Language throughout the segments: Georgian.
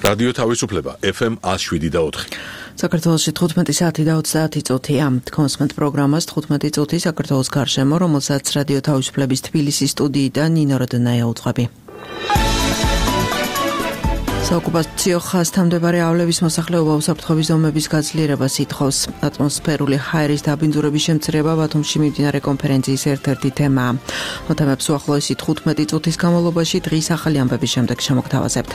რადიო თავისუფლება FM 107.4. საქართველოში 15 საათი და 30 წუთია. კონსმენტ პროგრამას 15 წუთი საქართველოს გარშემო, რომელსაც რადიო თავისუფლების თბილისის სტუდიიდან ნინო როდნაია უძღვები. საოკუპაციო ხაზთან მდებარე აავლების მოსახლეობა უსაფრთხოების ზომების გაძლიერებას ითხოვს. ატმოსფერული ჰაერის დაბინძურების შემცირება ბათუმში მიმდინარე კონფერენციის ერთ-ერთი თემაა. მოთემებს უახლოესი 15 წუთის განმავლობაში დღის ახალი ამბების შემდეგ შემოგთავაზებთ.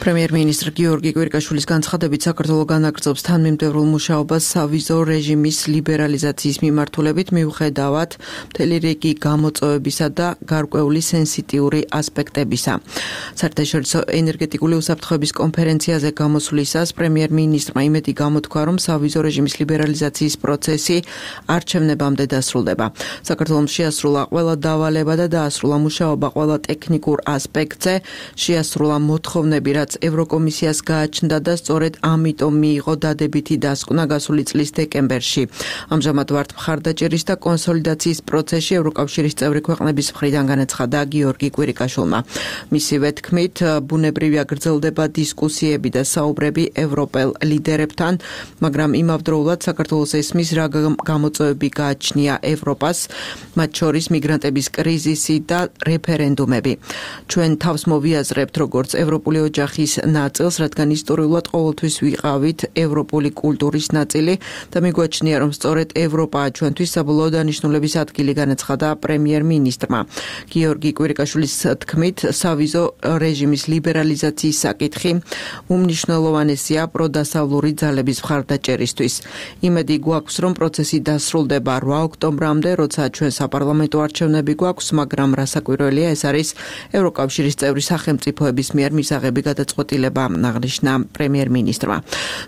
პრემიერ-მინისტრ გიორგი კვირიკაშვილის განცხადებით საქართველოს განაგრძობს თანმიმდევრულ მუშაობას სავიზო რეჟიმის ლიბერალიზაციის მიმართულებით მიუხედავად მთელი რიგი გამოწვევებისა და გარკვეული სენსიტიური ასპექტებისა. საერთაშორისო ენერგეტიკული უსაფრთხოების კონფერენციაზე გამოსვლისას პრემიერ-მინისტრმა იმედი გამოთქვა, რომ სავიზო რეჟიმის ლიბერალიზაციის პროცესი არჩევნებამდე დასრულდება. საქართველოს შეასრულა ყველა დავალება და დაასრულა მუშაობა ყველა ტექნიკურ ასპექტზე, შეასრულა მოთხოვნები, რაც ევროკომისიას გააჩნდა და სწორედ ამიტომ მიიღო დადებითი დასკვნა გასული წლის დეკემბერში. ამჟამად ვართ მხარდაჭერის და კონსოლიდაციის პროცესში ევროკავშირის წევრი ქვეყნების მხრიდან განაცხადა გიორგი კვირიკაშვილმა. მისივე თქმით, ბუნებრივია გრძელდება დისკუსიები და საუბრები ევროპელ ლიდერებთან, მაგრამ იმავდროულად საქართველოს ესმის რა გამოწვევები გააჩნია ევროპას, მათ შორის მიგრანტების კრიზისი და რეფერენდუმები. ჩვენ თავს მოვიაზრებთ როგორც ევროპული ოჯახის ნაწილს, რადგან ისტორიულად ყოველთვის ვიყავით ევროპული კულტურის ნაწილი და მიგვაჩნია, რომ სწორედ ევროპაა ჩვენთვის საბოლოო დანიშნულების ადგილი, განაცხადა პრემიერ-მინისტრმა. გიორგი კვირიკაშვილის თქმით, სავიზო რეჟიმის ლიბერალიზაციის საკითხი უმნიშვნელოვანესია პროდასავლური ძალების მხარდაჭერისთვის. იმედი გვაქვს, რომ პროცესი დასრულდება 8 ოქტომბრამდე, როცა ჩვენ საპარლამენტო არჩევნები გვაქვს, მაგრამ რასაკვირველია, ეს არის ევროკავშირის წევრი სახელმწიფოების მიერ მისაღები გადაწყვეტილება, აღნიშნა პრემიერ-მინისტრმა.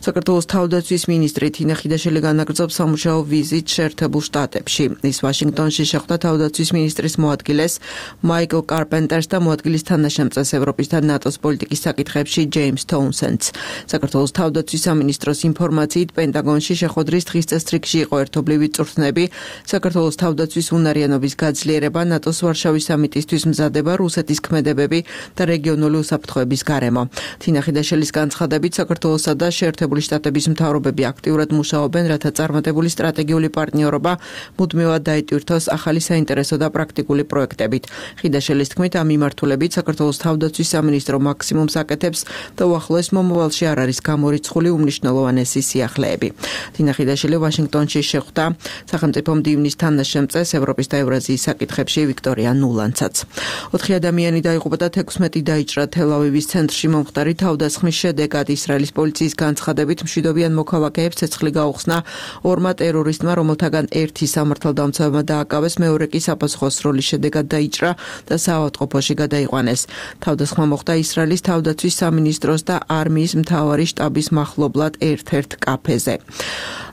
საქართველოს თავდაცვის მინისტრი თინა ხიდაშელი განაგრძობს სამუშაო ვიზიტს შეერთებულ შტატებში. ის ვაშინგტონში შეხვდა თავდაცვის მინისტრის მოადგილეს მაიკლ კარპენტერს და მოადგილის თანაშემწეს ევროპის და ნატოს პოლიტიკის საკითხებში ჯეიმს თოუნსენდს. საქართველოს თავდაცვის სამინისტროს ინფორმაციით, პენტაგონში შეხვედრის დღის წესრიგში იყო ერთობლივი წვრთნები, საქართველოს თავდაცვის უნარიანობის გაძლიერება, ნატოს ვარშავის სამიტისთვის მზადება, რუსეთის ქმედებები და რეგიონული უსაფრთხოების გარემო. თინა ხიდაშელის განცხადებით, საქართველოსა და შეერთებული შტატების მთავრობები აქტიურად მუშაობენ, რათა წარმატებული სტრატეგიული პარტნიორობა მუდმივად დაიტვირთოს ახალი საინტერესო და პრაქტიკული პროექტებით. ხიდაშელის თქმით, ამ მიმართულებით საქართველოს თავდაცვის სამინისტრო მაქსიმუმს აკეთებს და უახლოეს მომავალში არ არის გამორიცხული უმნიშვნელოვანესი სიახლეები. თინა ხიდაშელი ვაშინგტონში შეხვდა სახელმწიფო მდივნის თანაშემწეს ევროპის და ევრაზიის საკითხებში ვიქტორია ნულანცაც. 4 ადამიანი დაიღუპა და 16 დაიჭრა თელ-ავივის ცენტრში მომხდარი თავდასხმის შედეგად. ისრაელის პოლიციის განცხადებით, მშვიდობიან მოქალაქეებს ცეცხლი გაუხსნა ორმა ტერორისტმა, რომელთაგან ერთი სამართალდამცავებმა დააკავეს, მეორე კი საფასუხო სროლის შედეგად დაიჭრა და საავადმყოფოში გადაიყვანეს. თავდასხმა მოხდა ისრაელის თავდაცვის სამინისტროს და არმიის მთავარი შტაბის მახლობლად ერთ-ერთ კაფეზე.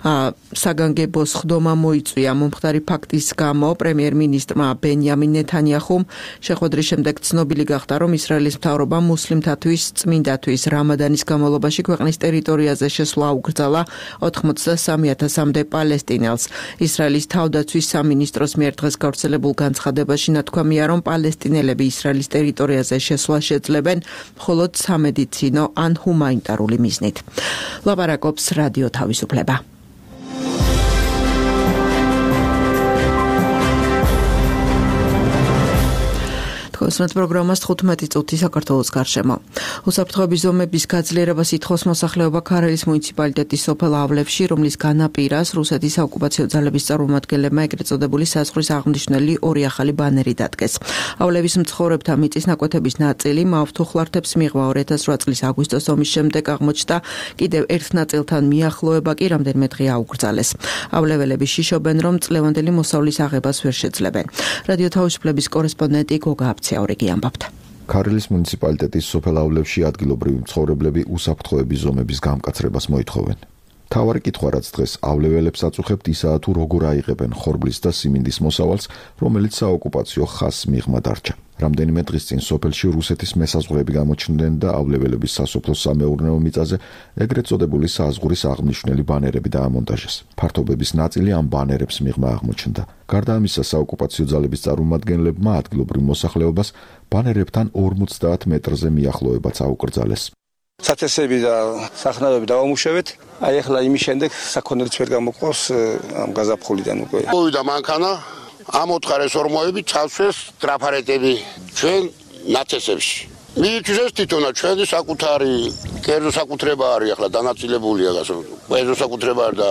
საგანგებო სხდომა მოიწვია მომხდარი ფაქტის გამო. პრემიერ-მინისტრმა ბენიამინ ნეთანიაჰუმ შეხვედრის შემდეგ ცნობილი გახდა, რომ ისრაელის მთავრობა მუსლიმთათვის წმინდათვის რამადანის განმავლობაში ქვეყნის ტერიტორიაზე შესვლა უკრძალა 83,000-მდე პალესტინელს. ისრაელის თავდაცვის სამინისტროს მიერ დღეს გავრცელებულ განცხადებაში ნათქვამია, რომ პალესტინელები ისრაელის ტერიტორიაზე შესვლა შეძლებენ მხოლოდ სამედიცინო ან ჰუმანიტარული მიზნით. ლაპარაკობს რადიო თავისუფლება. კონსმენტ პროგრამას 15 წუთი საქართველოს გარშემო. უსაფრთხოების ზომების გაძლიერებას ითხოვს მოსახლეობა ქარელის მუნიციპალიტეტის სოფელ ავლებში, რომლის განაპირას რუსეთის საოკუპაციო ძალების წარმომადგენლებმა ეგრეთ წოდებული საზღვრის აღმნიშვნელი 2 ახალი ბანერი დადგეს. ავლების მცხოვრებთა მიწის ნაკვეთების ნაწილი მავთუხლართებს მიიღვა 2008 წლის აგვისტოს ომის შემდეგ აღმოჩნდა, კიდევ ერთ ნაწილთან მიახლოება კი რამდენიმე დღე აუკრძალეს. ავლეველები შიშობენ, რომ წლევანდელი მოსავლის აღებას ვერ შეძლებენ. რადიო თავისუფლების კორესპონდენტი გოგა აბცაურიგი ამბობდა. ქარელის მუნიციპალიტეტის სოფელ ავლებში ადგილობრივი მცხოვრებლები უსაფრთხოების ზომების გამკაცრებას მოითხოვენ. თავარი კითხვა რაც დღეს ავლეველებს აწუხებთ ისაა თუ როგორ აიღებენ ხორბლის და სიმინდის მოსავალს, რომელიც საოკუპაციო ხაზს მიღმა დარჩა. რამდენიმე დღის წინ სოფელში რუსეთის მესაზღვრეები გამოჩნდნენ და ავლეველების სასოფლო სამეურნეო მიწაზე ეგრეთ წოდებული საზღურის აღნიშნული ბანერები დაამონტაჟეს. ფართობების ნაწილი ამ ბანერებს მიღმა აღმოჩნდა. გარდა ამისა, საოკუპაციო ძალების წარმომადგენლებმა ადგილობრივ მოსახლეობას ბანერებთან 50 მეტრზე მიახლოებაც აუკრძალეს. სათესები და სახნავები დავამუშავეთ. აი ახლა იმის შემდეგ საქონელიც ვერ გამოყავს ამ გაზაფხულიდან უკვე. მოვიდა მანქანა, ამოთხარეს ორმოები, ჩავსვეს ტრაფარეტები ჩვენ ნათესებში. მიიწვიეს თვითონაც ჩვენი საკუთარი კერძო საკუთრება არის ახლა დანაწილებულია გასო. კერძო საკუთრება არის და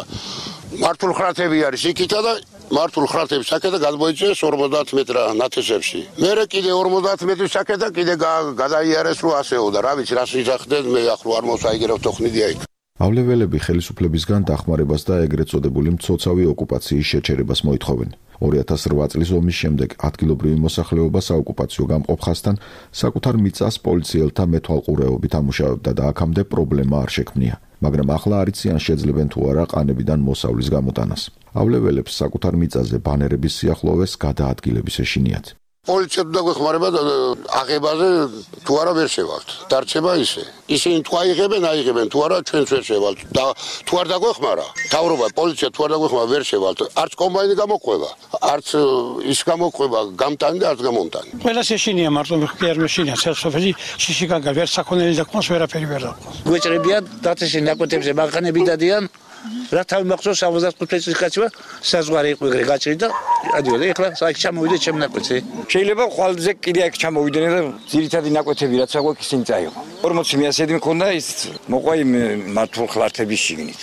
მართულ ხრათები არის იქითა და მართულ ხრათების საკეთა გადმოიწეს 50 მეტრა ნათესებში. მერე კიდე 50 მეტრის საკეთა კიდე გადაიარეს რომ ასეო და რა ვიცი რას იძახდნენ მე ახლა არ მოსაიგერავ თოხნიდია იქ. ავლეველები ხელისუფლებისგან დახმარებას და ეგრეთ წოდებული მცოცავი ოკუპაციის შეჩერებას მოითხოვენ. 2008 წლის ომის შემდეგ ადგილობრივი მოსახლეობა საოკუპაციო გამყოფ ხაზთან საკუთარ მიწას პოლიციელთა მეთვალყურეობით ამუშავებდა და აქამდე პრობლემა არ შექმნია. მაგრამ ახლა არ იციან შეძლებენ თუ არა ყანებიდან მოსავლის გამოტანას. ავლეველებს საკუთარ მიწაზე ბანერების სიახლოვეს გადაადგილების ეშინიათ. პოლიციამ დაგვეხმარება და აღებაზე თუ არა ვერ შევალთ. დარჩება ისე. ისინი თუ აიღებენ თუ არა ჩვენც ვერ შევალთ. და თუ არ დაგვეხმარა, თავრობა პოლიცია თუ არ დაგვეხმარა ვერ შევალთ. არც კომბაინი გამოყვება, არც ის გამოყვება გამტანი და არც გამომტანი. ყველას ეშინია მარტო კი არ მეშინია სოფელი შიშიკაგა ვერ საქონელი დაყავს ვერაფერი ვერ დაყავს. გვეჭრებიან დათესში ნაკეთებზე მანქანები დადიან. რა თავი მახსოვს 75 წლის კაცმა საზღვარი იყო ეგრე გაჭრი და ადიოდა ეხლა საერთოდ ჩამოვიდა ჩემ ნაკვეთზე. შეიძლება ხვალზე კიდე აქ ჩამოვიდნენ და ძირითადი ნაკვეთები რაც აგვაქვს ისინი წაიღო. 40 მიასედი მქონდა ის მოყვა იმ მართულ ხლართების შიგნით.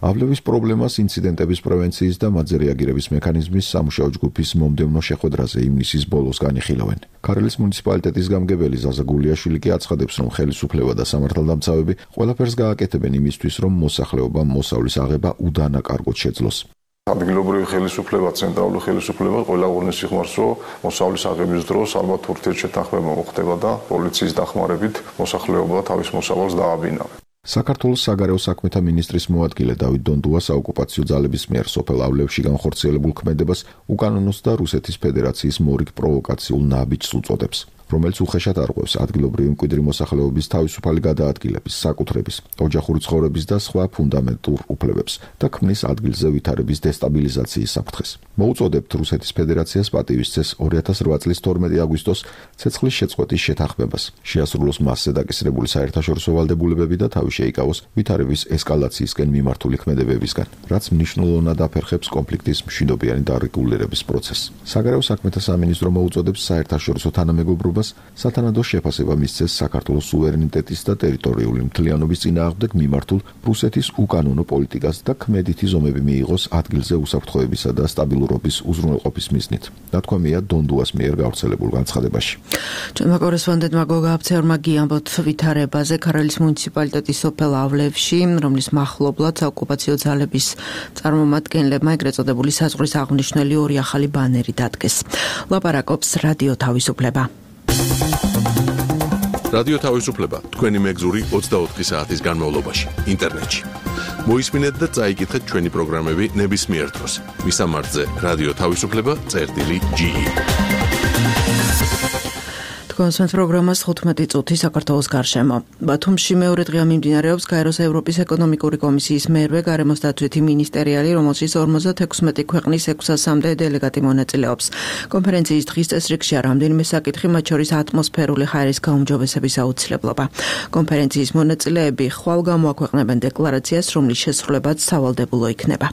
ავლევის პრობლემას ინციდენტების პრევენციის და მათზე რეაგირების მექანიზმის სამუშაო ჯგუფის მომდევნო შეხვედრაზე ივნისის ბოლოს განიხილავენ. ქარელის მუნიციპალიტეტის გამგებელი ზაზა გულიაშვილი კი აცხადებს, რომ ხელისუფლება და სამართალდამცავები ყველაფერს გააკეთებენ იმისთვის, რომ მოსახლეობამ მოსავლის აღება უდანაკარგოდ შეძლოს. ადგილობრივი ხელისუფლება, ცენტრალური ხელისუფლება ყველა უღრმეს სიხმარს, რომ მოსავლის აღების დროს ალბათ ურთიერთშეთანხმება მოხდება და პოლიციის დახმარებით მოსახლეობა თავის მოსავალს დააბინავებს. საქართველოს საგარეო საქმეთა მინისტრის მოადგილე დავით დონდუა საოკუპაციო ძალების მიერ სოფელ ავლევში განხორციელებულ ქმედებას უკანონოს და რუსეთის ფედერაციის მორიგ პროვოკაციულ ნაბიჯს უწოდებს, რომელიც უხეშად არღვევს ადგილობრივი მკვიდრი მოსახლეობის თავისუფალი გადაადგილების, საკუთრების, ოჯახური ცხოვრების და სხვა ფუნდამენტურ უფლებებს და ქმნის ადგილზე ვითარების დესტაბილიზაციის საფრთხეს. მოუწოდებთ რუსეთის ფედერაციას პატივისცეს 2008 წლის 12 აგვისტოს ცეცხლის შეწყვეტის შეთანხმებას, შეასრულოს მასზე დაკისრებული საერთაშორისო ვალდებულებები და თავი შეიკავოს ვითარების ესკალაციისკენ მიმართული ქმედებებისგან, რაც მნიშვნელოვნად აფერხებს კონფლიქტის მშვიდობიანი დარეგულირების პროცესს. საგარეო საქმეთა სამინისტრო მოუწოდებს საერთაშორისო თანამეგობრობას სათანადო შეფასება მისცეს საქართველოს სუვერენიტეტის და ტერიტორიული მთლიანობის წინააღმდეგ მიმართულ რუსეთის უკანონო პოლიტიკას და ქმედითი ზომები მიიღოს ადგილზე უსაფრთხოებისა და სტაბილურობის უზრუნველყოფის მიზნით. დათქვამია დონდუას მიერ გავრცელებულ განცხადებაში. ჩვენმა კორესპონდენტმა გოგა აბცეორმა გიამბოთ ვითარებაზე ქარელის მუნიციპალიტეტის სოფელ ავლევში, რომლის მახლობლად საოკუპაციო ძალების წარმომადგენლებმა ეგრეთ წოდებული საზღვრის აღნიშნული ორი ახალი ბანერი დადგეს. ლაპარაკობს რადიო თავისუფლება. რადიო თავისუფლება თქვენი მეგზური 24 საათის განმავლობაში ინტერნეტში. მოისმინეთ და წაიკითხეთ ჩვენი პროგრამები ნებისმიერ დროს. მისამართზე რადიო თავისუფლება.ge კონსენს პროგრამას 15 წუთი საქართველოს გარშემო. ბათუმში მეორე დღეა მიმდინარეობს გაეროს ევროპის ეკონომიკური კომისიის მერვე გარემოს დაცვითი მინისტერიალი, რომელშიც 56 ქვეყნის 600-მდე დელეგატი მონაწილეობს. კონფერენციის დღის წესრიგშია რამდენიმე საკითხი, მათ შორის ატმოსფერული ჰაერის გაუმჯობესების აუცილებლობა. კონფერენციის მონაწილეები ხვალ გამოაქვეყნებენ დეკლარაციას, რომლის შესრულებაც სავალდებულო იქნება.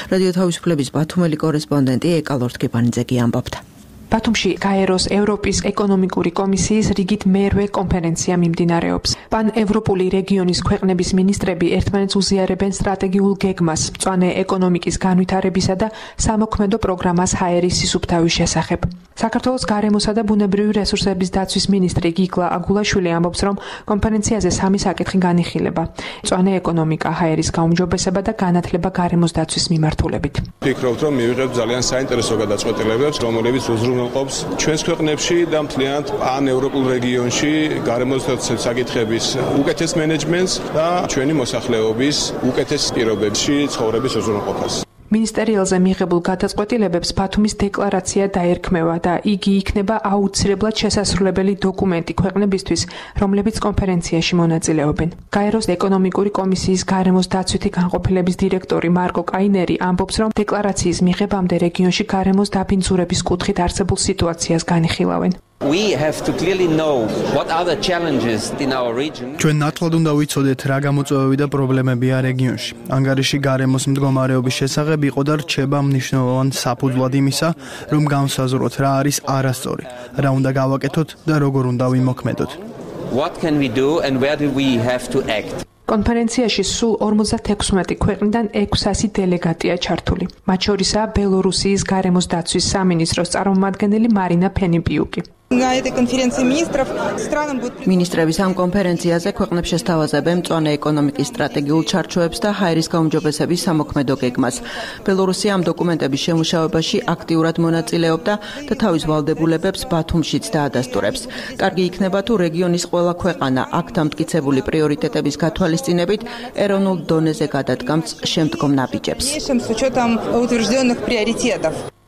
რადიო თავისუფლების ბათუმელი კორესპონდენტი ეკა ლორთქიფანიძე ამბობდა. ბათუმში გაეროს ევროპის ეკონომიკური კომისიის რიგით მერვე კონფერენცია მიმდინარეობს. პან-ევროპული რეგიონის ქვეყნების მინისტრები ერთმანეთს უზიარებენ სტრატეგიულ გეგმას, მწვანე ეკონომიკის განვითარებისა და სამოქმედო პროგრამას ჰაერის სისუფთავის შესახებ. საქართველოს გარემოსა და ბუნებრივი რესურსების დაცვის მინისტრი გიგლა აგულაშვილი ამბობს, რომ კონფერენციაზე სამი საკითხი განიხილება: მწვანე ეკონომიკა, ჰაერის გაუმჯობესება და განათლება გარემოს დაცვის მიმართულებით. ვფიქრობთ, რომ მივიღებთ ძალიან საინტერესო გადაწყვეტილებებს, რომლებიც უზრუნველყოფს უზრუნველყოფს ჩვენს ქვეყნებში და მთლიანად პან-ევროპულ რეგიონში გარემოსდაცვის საკითხების უკეთეს მენეჯმენტს და ჩვენი მოსახლეობის უკეთეს პირობებში ცხოვრების უზრუნველყოფას. მინისტერიალზე მიღებულ გადაწყვეტილებებს ბათუმის დეკლარაცია დაერქმევა და იგი იქნება აუცილებლად შესასრულებელი დოკუმენტი ქვეყნებისთვის, რომლებიც კონფერენციაში მონაწილეობენ. გაეროს ეკონომიკური კომისიის გარემოს დაცვითი განყოფილების დირექტორი მარკო კაინერი ამბობს, რომ დეკლარაციის მიღებამდე რეგიონში გარემოს დაბინძურების კუთხით არსებულ სიტუაციას განიხილავენ. ჩვენ ნათლად უნდა ვიცოდეთ რა გამოწვევები და პრობლემებია რეგიონში. ანგარიში გარემოს მდგომარეობის შესახებ იყო და რჩება მნიშვნელოვან საფუძვლად იმისა, რომ განსაზღვროთ რა არის არასწორი, რა უნდა გავაკეთოთ და როგორ უნდა ვიმოქმედოთ. კონფერენციაში სულ 56 ქვეყნიდან 600 დელეგატია ჩართული. მათ შორისაა ბელორუსიის გარემოს დაცვის სამინისტროს წარმომადგენელი მარინა ფენიპიუკი. მინისტრების ამ კონფერენციაზე ქვეყნებს შესთავაზებენ მწვანე ეკონომიკის სტრატეგიულ ჩარჩოებს და ჰაერის გაუმჯობესების სამოქმედო გეგმას. ბელორუსია ამ დოკუმენტების შემუშავებაში აქტიურად მონაწილეობდა და თავის ვალდებულებებს ბათუმშიც დაადასტურებს. კარგი იქნება თუ რეგიონის ყველა ქვეყანა აქ დამტკიცებული პრიორიტეტების გათვალისწინებით ეროვნულ დონეზე გადადგამს შემდგომ ნაბიჯებს.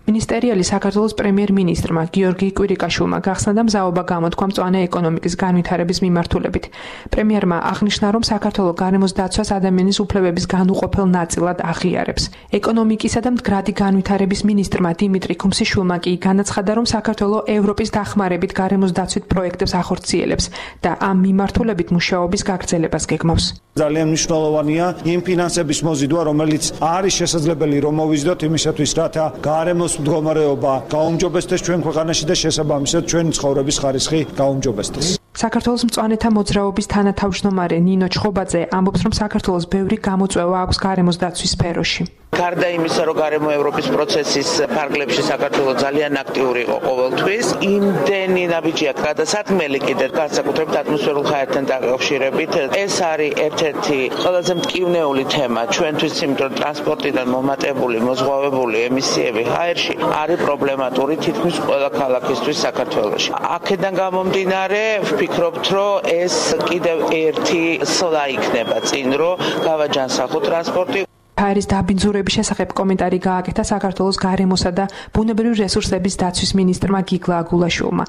მინისტერიალი საქართველოს პრემიერ-მინისტრმა გიორგი კვირიკაშვილმა გახსნა და მზაობა გამოთქვა მწვანე ეკონომიკის განვითარების მიმართულებით. პრემიერმა აღნიშნა, რომ საქართველო გარემოს დაცვას ადამიანის უფლებების განუყოფელ ნაწილად აღიარებს. ეკონომიკისა და მდგრადი განვითარების მინისტრმა დიმიტრი ქუმსიშვილმა კი განაცხადა, რომ საქართველო ევროპის დახმარებით გარემოს დაცვით პროექტებს ახორციელებს და ამ მიმართულებით მუშაობის გაგრძელებას გეგმავს. ძალიან მნიშვნელოვანია იმ ფინანსების მოზიდვა, რომელიც არის შესაძლებელი რომ მოვიზიდოთ იმისათვის, რათა გარემოს მდგომარეობა გაუმჯობესდეს ჩვენ ქვეყანაში და შესაბამისად ჩვენი ცხოვრების ხარისხი გაუმჯობესდეს. საქართველოს მწვანეთა მოძრაობის თანათავმჯდომარე ნინო ჩხობაძე ამბობს, რომ საქართველოს ბევრი გამოწვევა აქვს გარემოს დაცვის სფეროში. გარდა იმისა, რომ გარემო ევროპის პროცესის ფარგლებში საქართველო ძალიან აქტიური იყო ყოველთვის, იმდენი ნაბიჯია გადასათმელი კიდევ განსაკუთრებით ატმოსფერულ ჰაერთან დაკავშირებით. ეს არის ერთ-ერთი ყველაზე მტკივნეული თემა ჩვენთვის, იმიტომ რომ ტრანსპორტიდან მომატებული, მოზღვავებული ემისიები ჰაერში არის პრობლემატური თითქმის ყველა ქალაქისთვის საქართველოში. აქედან გამომდინარე, ვფიქრობთ, რომ ეს კიდევ ერთი სვლა იქნება წინ, რომ გავაჯანსაღოთ ტრანსპორტი. ჰაერის დაბინძურების შესახებ კომენტარი გააკეთა საქართველოს გარემოსა და ბუნებრივი რესურსების დაცვის მინისტრმა გიგლა აგულაშვილმა.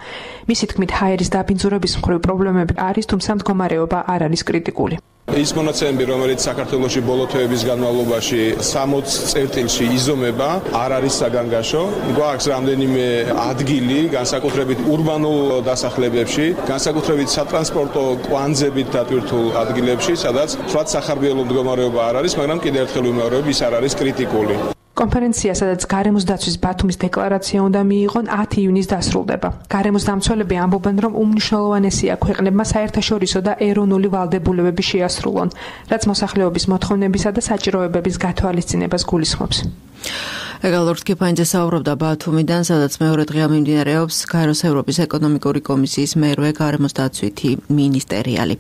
მისი თქმით, ჰაერის დაბინძურების მხრივ პრობლემები არის, თუმცა მდგომარეობა არ არის კრიტიკული. ის მონაცემები, რომელიც საქართველოში ბოლო თვეების განმავლობაში 60 წერტილში იზომება, არ არის საგანგაშო. გვაქვს რამდენიმე ადგილი, განსაკუთრებით ურბანულ დასახლებებში, განსაკუთრებით სატრანსპორტო კვანძებით დატვირთულ ადგილებში, სადაც თვათ სახარბიელო მდგომარეობა არ არის, მაგრამ კიდევ ერთხელ ვიმეორებ, ის არ არის კრიტიკული. კონფერენცია, სადაც გარემოს დაცვის ბათუმის დეკლარაცია უნდა მიიღონ 10 ივნისს დასრულდება. გარემოს დამცველები ამბობენ, რომ უმნიშვნელოვანესია ქვეყნებმა საერთაშორისო და ეროვნული ვალდებულებები შეასრულონ, რაც მოსახლეობის მოთხოვნებისა და საჭიროებების გათვალისწინებას გულისხმობს. ეგალორდ კიფაინძე საუბრობდა ბათუმიდან, სადაც მეორე დღეა მიმდინარეობს გაეროს ევროპის ეკონომიკური კომისიის მერვე გარემოს დაცვითი მინისტერიალი.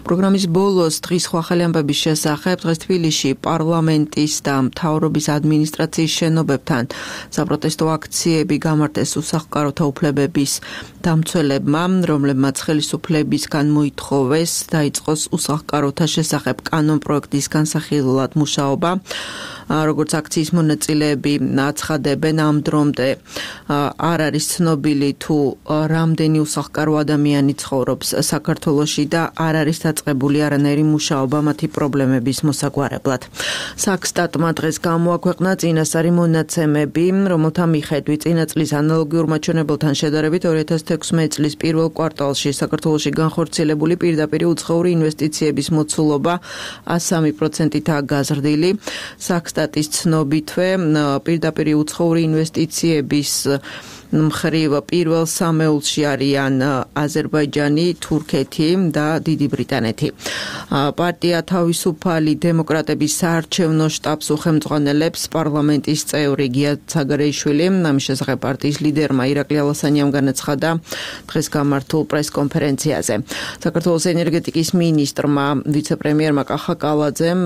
პროგრამის ბოლოს დღის სხვა ხელი ამბების შესახებ დღეს თბილისში პარლამენტის და მთავრობის ადმინისტრაციის შენობებთან საპროტესტო აქციები გამართეს უსახლკაროთა უფლებების დამცველებმა, რომლებმაც ხელისუფლებისგან მოითხოვეს დაიწყოს უსახლკაროთა შესახებ კანონპროექტის განსახილველად მუშაობა. როგორც აქციის მონაწილეები აცხადებენ, ამ დრომდე არ არის ცნობილი თუ რამდენი უსახლკარო ადამიანი ცხოვრობს საქართველოში და არ არის დაწყებული არანაირი მუშაობა მათი პრობლემების მოსაგვარებლად. საქსტატმა დღეს გამოაქვეყნა წინასწარი მონაცემები, რომელთა მიხედვით წინა წლის ანალოგიურ მაჩვენებელთან შედარებით 2016 წლის პირველ კვარტალში საქართველოში განხორციელებული პირდაპირი უცხოური ინვესტიციების მოცულობა 103%-აა გაზრდილი. საქსტატის ცნობითვე პირდაპირი უცხოური ინვესტიციების მხრივ პირველ სამეულში არიან აზერბაიჯანი, თურქეთი და დიდი ბრიტანეთი. პარტია თავისუფალი დემოკრატების საარჩევნო შტაბს უხელმძღვანელებს პარლამენტის წევრი გია ცაგარეიშვილი. ამის შესახებ პარტიის ლიდერმა ირაკლი ალასანიამ განაცხადა დღეს გამართულ პრესკონფერენციაზე. საქართველოს ენერგეტიკის მინისტრმა, ვიცე-პრემიერმა კახა კალაძემ